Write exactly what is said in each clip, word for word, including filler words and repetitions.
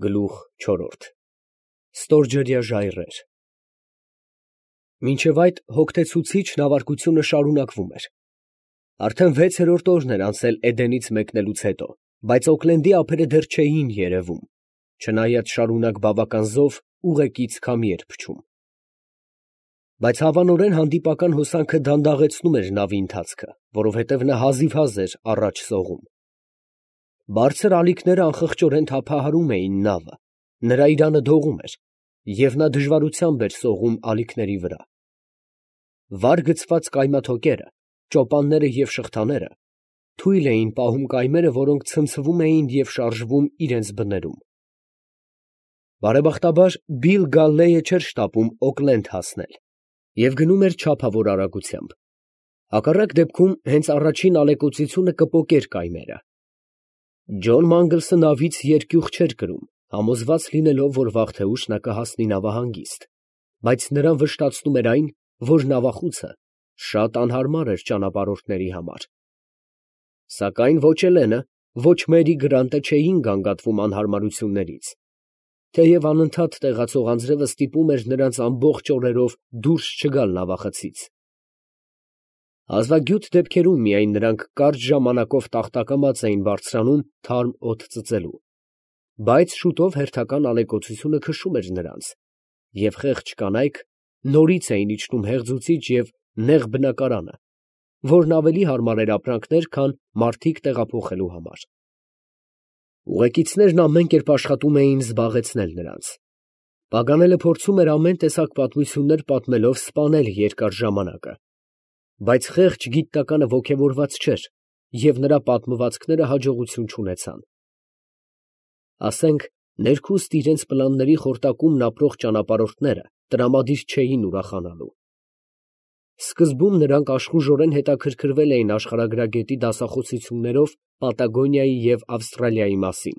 Գլուխ չորրորդ Ստորջրյա ժայռեր Մինչև այդ հոգնեցուցիչ նավարկությունը շարունակվում էր. արդեն վեցերորդ օրն էր անցել Էդենից մեկնելուց հետո, բայց Օքլենդի ափերը դեռ չէին երևում, չնայած շարունակ բավական զով ուղեկից քամի էր փչում. բայց հավանորեն հանդիպական հոսանքը դանդաղեցնում էր նավի ընթացքը, որովհետև նա հազիվհազ էր առաջ սողում. բարձր ալիքները անխղճորեն թափահարում էին նավը, նրա իրանը դողում էր, և նա դժվարությամբ էր սողում ալիքների վրա. վար գցված կայմաթոկերը, ճոպանները և շղթաները թույլ էին պահում կայմերը, որոնք ցնցվում էին և շարժվում իրենց բներում. բարեբախտաբար Բիլ Գալլեյը չէր շտապում Օքլենդ հասնել և գնում էր չափավոր արագությամբ, հակառակ դեպքում հենց առաջին ալեկոծությունը կպոկեր կայմերը. Ջոն Մանգլսը նավից երկյուղ չէր կրում, համոզված լինելով, որ վաղ թե ուշ նա կհասնի նավահանգիստ, բայց նրան վշտացնում էր այն, որ նավախուցը շատ անհարմար էր ճանապարհորդների համար. սակայն ոչ Էլենը, ոչ Մերի Գրանտը չէին գանգատվում անհարմարություններից, թեև անընդհատ տեղացող անձրևը ստիպում էր նրանց ամբողջ օրերով դուրս չգալ նավախցից. հազվագյուտ դեպքերում միայն նրանք կարճ ժամանակով տախտակամած էին բարձրանում թարմ օդ ծծելու, բայց շուտով հերթական ալեկոծությունը քշում էր նրանց, և խեղճ կանայք նորից էին իջնում հեղձուցիչ և նեղ բնակարանը, որն ավելի հարմար էր ապրանքներ, քան մարդիկ տեղափոխելու համար. ուղեկիցներն ամեն կերպ աշխատում էին զբաղեցնել նրանց. Պագանելը փորձում էր ամեն տեսակ պատմություններ պատմելով սպանել երկար ժամանակը, բայց խեղճ գիտնականը ոգևորված չէր, և նրա պատմվածքները հաջողություն չունեցան. ասենք, ներքուստ իրանց պլանների խորտակումն ապրող ճանապարհորդները տրամադիր չէին ուրախանալու. սկզբում նրանք աշխուժորեն հետաքրքրվել էին աշխարհագրագետի դասախոսություններով Պատագոնիայի և Ավստրալիայի մասին.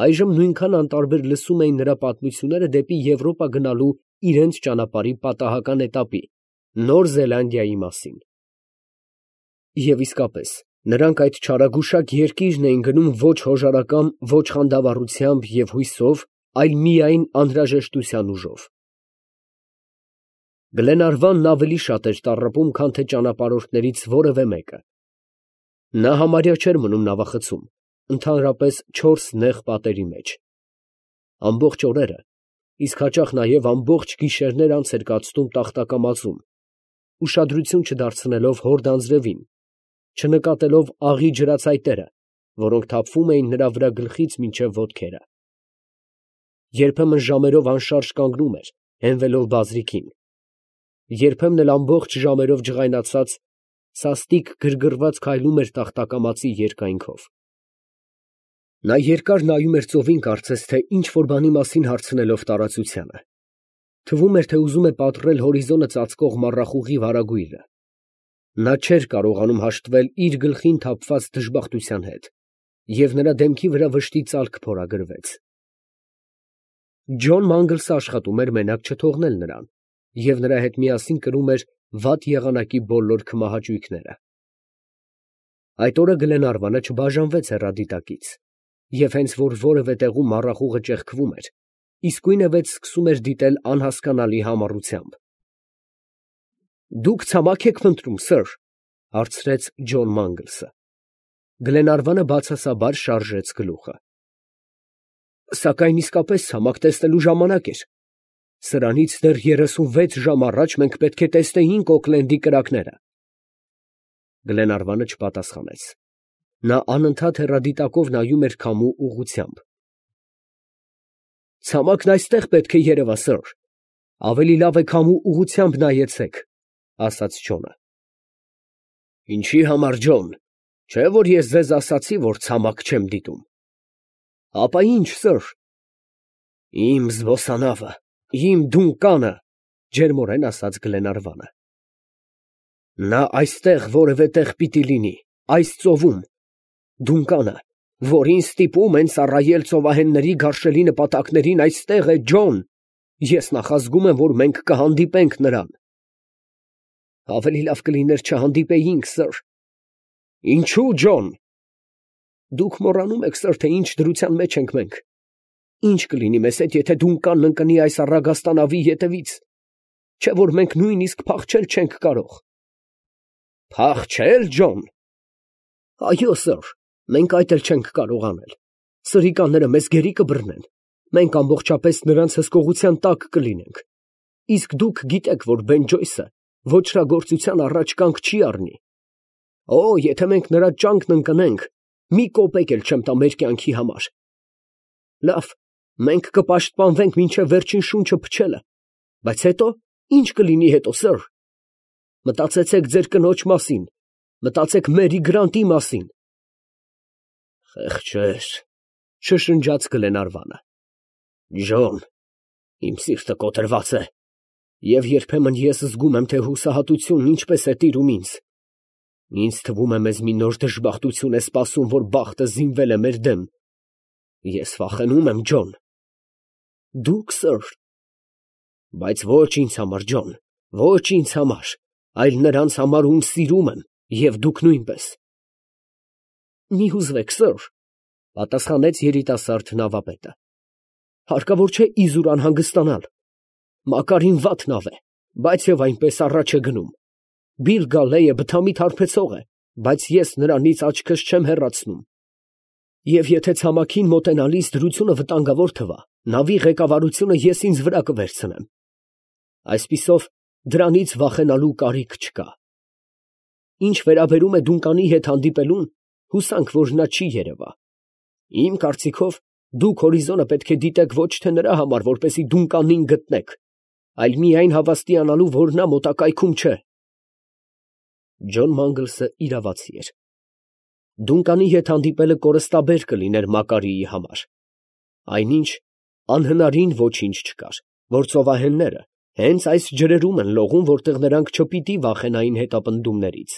այժմ նույնքան անտարբեր լսում էին նրա պատմությունները դեպի Եվրոպա գնալու իրանց ճանապարհի պատահական էտապի, Նոր Զելանդիայի մասին. և իսկապես, նրանք այդ չարագուշակ երկիրն էին գնում ոչ հոժարակամ, ոչ խանդավառությամբ և հույսով, այլ միայն անհրաժեշտության ուժով. Գլենարվանն ավելի շատ էր տառապում, քան թե ճանապարհորդներից որևէ մեկը. նա համարյա չէր մնում նավախցում, ընդհանրապես չորս նեղ պատերի մեջ. ամբողջ օրերը, իսկ հաճախ նաև ամբողջ գիշերներ անց էր կացնում տախտակամածում, ուշադրություն չդարձնելով հորդ անձրևին, չնկատելով աղի ջրածայտերը, որոնք թափվում էին նրա վրա գլխից մինչև ոտքերը. երբեմն ժամերով անշարժ կանգնում էր, հենվելով բազրիքին, երբեմն էլ ամբողջ ժամերով ջղայնացած, սաստիկ գրգռված քայլում էր տախտակամածի երկայնքով. նա երկար նայում էր ծովին, կարծես թե ինչ֊որ բանի մասին հարցնելով տարածությանը. թվում էր, թե ուզում է պատռել հորիզոնը ծածկող մառախուղի վարագույրը. նա չէր կարողանում հաշտվել իր գլխին թափված դժբախտության հետ, և նրա դեմքի վրա վշտի ծալք փորագրվեց. Ջոն Մանգլսը աշխատում էր մենակ չթողնել նրան, և նրա հետ միասին կրում էր վատ եղանակի բոլոր քմահաճույքները. այդ օրը Գլենարվանը չբաժանվեց հեռադիտակից, և հենց որ որևէ տեղում մառախուղը ճեղքվում էր, իսկույնևեթ սկսում էր դիտել անհասկանալի համառությամբ. ֊ Դուք ցամաք եք փնտրում, սըր, ֊ հարցրեց Ջոն Մանգլսը. Գլենարվանը բացասաբար շարժեց գլուխը. ֊ Սակայն իսկապես ցամաք տեսնելու ժամանակ էր. սրանից դեռ երեսունվեց ժամ առաջ մենք պետք է տեսնեինք Օքլենդի կրակները. Գլենարվանը չպատասխանեց. նա անընդհատ հեռադիտակով նայում էր քամու ուղղությամբ. ֊ Ցամաքն այստեղ պետք է երևա, սըր, ավելի լավ է քամու ուղղությամբ նայեցեք, ֊ ասաց Ջոնը. ֊ Ինչի համար, Ջոն, չէ՞ որ ես ձեզ ասացի, որ ցամաք չեմ դիտում։ ֊ Ապա ի՞նչ, սըր։ ֊ Իմ զբոսանավը, իմ դունկանը, ֊ ջերմորեն ասաց Գլենարվանը։ ֊ Նա այստեղ որևէ տեղ պիտի լինի, այս ծովում, դունկանը, որին ստիպում են ծառայել ծովահենների գարշելի նպատակներին, այստեղ է, Ջոն, ես նախազգում եմ, որ մենք կհանդիպենք նրան։ ֊ Ավելի լավ կլիներ չհանդիպեինք, սըր։ ֊ Ինչո՞ւ, Ջոն։ ֊ Դուք մոռանում եք, սըր, թե ինչ դրության մեջ ենք մենք։ Ինչ կլինի մեզ հետ, եթե Դունկանն ընկնի այս առագաստանավի ետևից, չէ որ մենք նույնիսկ փախչել չենք կարող։ Փախչել, Ջոն։ Այո, սըր, մենք այդ էլ չենք կարող անել։ Սրիկանները մեզ գերի կբռնեն, մենք ամբողջապես նրանց հսկողության տակ կլինենք, իսկ դուք գիտեք, որ Բեն Ջոյսը ոճրագործության առաջ կանգ չի առնի։ Օ, եթե մենք նրա ճանկն ընկնենք, մի կոպեկ էլ չեմ տա մեր կյանքի համար։ Լավ, մենք կպաշտպանվենք մինչև վերջին շունչը փչելը, բայց հետո ինչ կլինի հետո, սըր։ Մտածեցեք ձեր կնոջ մասին, մտածեք Մերի Գրանտի մասին։ Խեղճեր, շշնջաց Գլենարվանը։ Ջոն, իմ սիրտը կոտրված է, և երբեմն ես զգում եմ, թե հուսահատությունն ինչպես է տիրում ինձ։ Ինձ թվում է մեզ մի նոր դժբախտություն է սպասում, որ բախտը զինվել է մեր դեմ։ Ես վախենում եմ, Ջոն։ Դուք, սըր։ Բայց ոչ ինձ համար, Ջոն, ոչ ինձ համար, այլ նրանց համար, ում սիրում եմ, և դուք նույնպես։ Մի հուզվեք, սըր, պատասխանեց երիտասարդ նավապետը։ Հարկավոր չէ իզուր անհանգստանալ։ Մակարին վատ նավ է, բայց և այնպես առաջ է գնում։ Բիլ Գալլեյը բթամիտ հարբեցող է, բայց ես նրանից աչքս չեմ հեռացնում։ Եվ եթե ցամաքին մոտենալիս դրությունը վտանգավոր թվա, նավի ղեկավարությունը ես ինձ վրա կվերցնեմ։ Այսպիսով դրանից վախենալու կարիք չկա։ Ինչ վերաբերում է Դունկանի հետ հանդիպելուն, հուսանք, որ նա չի երևա։ Իմ կարծիքով, դուք հորիզոնը պետք է դիտեք ոչ թե նրա համար, որպեսզի Դունկանին գտնեք, այլ միայն հավաստիանալու, որ նա մոտակայքում չէ։ Ջոն Մանգլսը իրավացի էր։ Դունկանի հետ հանդիպելը կորստաբեր կլիներ Մակարիի համար։ Այնինչ անհնարին ոչինչ չկար, որ ծովահենները հենց այս ջրերում են լողում, որտեղ նրանք չպիտի վախենային հետապնդումներից։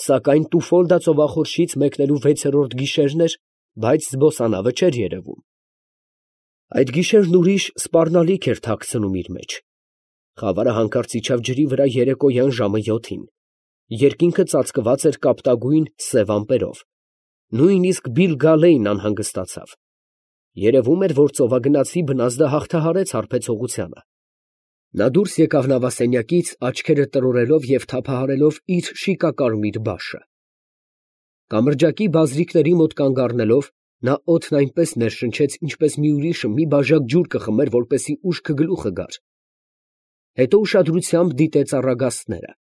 Սակայն Տուֆոլդա ծովախորշից մեկնելու վեցերորդ գիշերն էր, բայց զբոսանավը չէր երևում։ Այդ գիշերն ուրիշ սպառնալիք էր թաքցնում իր մեջ։ Խավարը հանկարծ իջավ ջրի վրա երեկոյան ժամը յոթին։ Երկինքը ծածկված էր կապտագույն սև ամպերով։ Նույնիսկ Բիլ Գալեյն անհանգստացավ։ Երևում էր, որ ծովագնացի բնազդը հաղթահարեց հարբեցողությանը։ Նա դուրս եկավ նավասենյակից, աչքերը տրորելով և թափահարելով իր շիկակարմիր բաշը։ Կամրջակի բազրիկների մոտ կանգ առնելով, նա օդն այնպես ներշնչեց, ինչպես մի ուրիշը մի բաժակ ջուր կխմեր, որպեսզի ուշքը գլուխը գար։ Հետո ուշադրությամբ դիտեց առագաստները։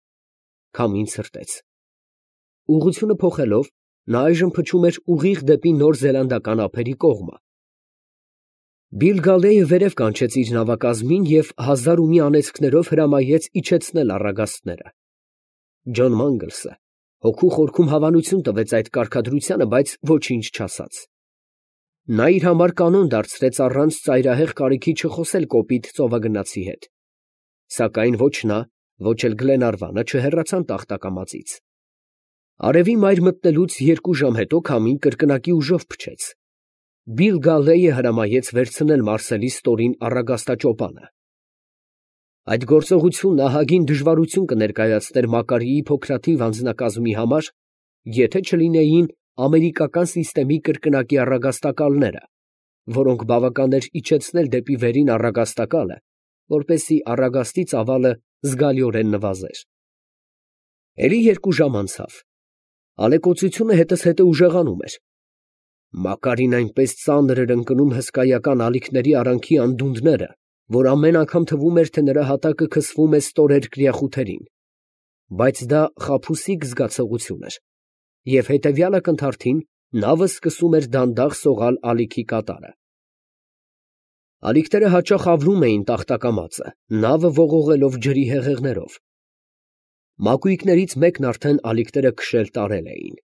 Քամին ցրտեց։ Ուղղությունը փոխելով, նա այժմ փչում էր ուղիղ դեպի Նոր Զելանդական ափերի կողմը։ Բիլ Գալեյը վերև կանչեց իր նավակազմին և հազար ու մի անեծքներով հրամայեց իջեցնել առագաստները։ Ջոն Մանգլսը հոգու խորքում հավանություն տվեց այդ կարգադրությանը, բայց ոչինչ չասաց։ Նա իր համար կանոն դարձրեց առանց ծայրահեղ կարիքի չխոսել կոպիտ ծովագնացի հետ։ Սակայն ոչ նա, ոչ էլ Գլենարվանը չհեռացան տախտակամածից։ Արևի մայր մտնելուց երկու ժամ հետո քամին կրկնակի ուժով փչեց։ Բիլ Գալեյը հրամայեց վերցնել Մարսելի ստորին առագաստաճոպանը։ Այդ գործողությունն ահագին դժվարություն կներկայացներ Մակարիի փոքրաթիվ անձնակազմի համար, եթե չլինեին ամերիկական սիստեմի կրկնակի առագաստակալները, որոնք բավական էր իջեցնել դեպի վերին առագաստակալը, որպեսզի առագաստի ծավալը զգալիորեն նվազեր։ Էլի երկու ժամ անցավ։ Ալեկոծությունը հետզհետե ուժեղանում էր։ Մակարին այնպես ծանր էր ընկնում հսկայական ալիքների արանքի անդունդները, որ ամեն անգամ թվում էր, թե նրա հատակը քսվում է ստորերկրյա խութերին։ Բայց դա խաբուսիկ զգացողություն էր, և հետևյալ ակնթարթին նավը սկսում էր դանդաղ սողալ ալիքի կատարը։ Ալիքները հաճախ ավլում էին տախտակամածը, նավը ողողելով ջրի հեղեղներով։ Մակույկներից մեկն արդեն ալիքները քշել տարել էին։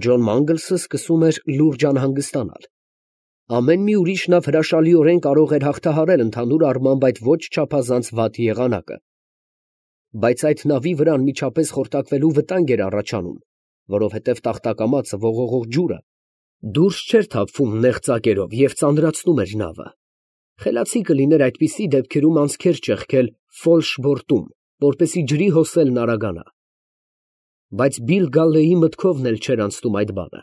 Ջոն Մանգլսը սկսում էր լուրջ անհանգստանալ։ Ամեն մի ուրիշ նավ հրաշալիորեն կարող էր հաղթահարել ընդհանուր առմամբ այդ ոչ չափազանց վատ եղանակը։ Բայց այդ նավի վրա անմիջապես խորտակվելու վտանգ էր առաջանում, որովհետև տախտակամածը ողողող ջուրը դուրս չէր թափվում նեղ ծակերով և ծանրացնում էր նավը։ Խելացի կլիներ այդպիսի դեպքերում անցքեր ճեղքել ֆոլշ բորտում, որպեսզի ջրի հոսելն արագանա։ Բայց Բիլ Գալլեի մտքովն էլ չէր անցնում այդ բանը։